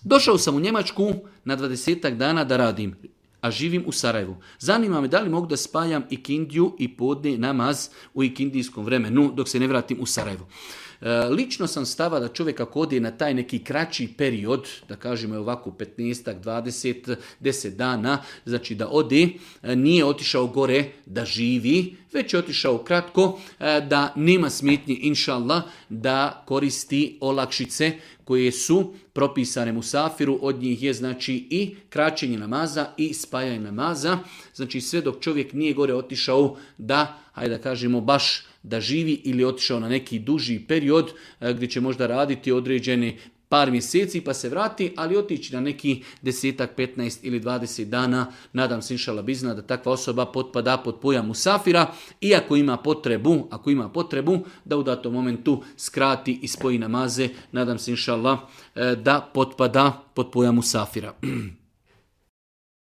Došao sam u Njemačku na 20 dana da radim, a živim u Sarajevu. Zanima me da li mogu da spajam ikindiju i podne namaz u ikindijskom vremenu dok se ne vratim u Sarajevo. Lično sam stava da čovjek ako ode na taj neki kraći period, da kažemo ovako 15, 20, 10 dana, znači da ode, nije otišao gore da živi, već je otišao kratko, da nema smetnje, inša Allah, da koristi olakšice koje su propisane musafiru, od njih je znači i kraćenje namaza i spajanje namaza, znači sve dok čovjek nije gore otišao da, hajde da kažemo, baš da živi ili otišao na neki duži period gdje će možda raditi određene par mjeseci pa se vrati, ali otići na neki 10, 15 ili 20 dana, nadam se inšala bizna da takva osoba potpada pod pojam musafira i ako ima potrebu da u datom momentu skrati i spoji namaze, nadam se inšala da potpada pod pojam musafira.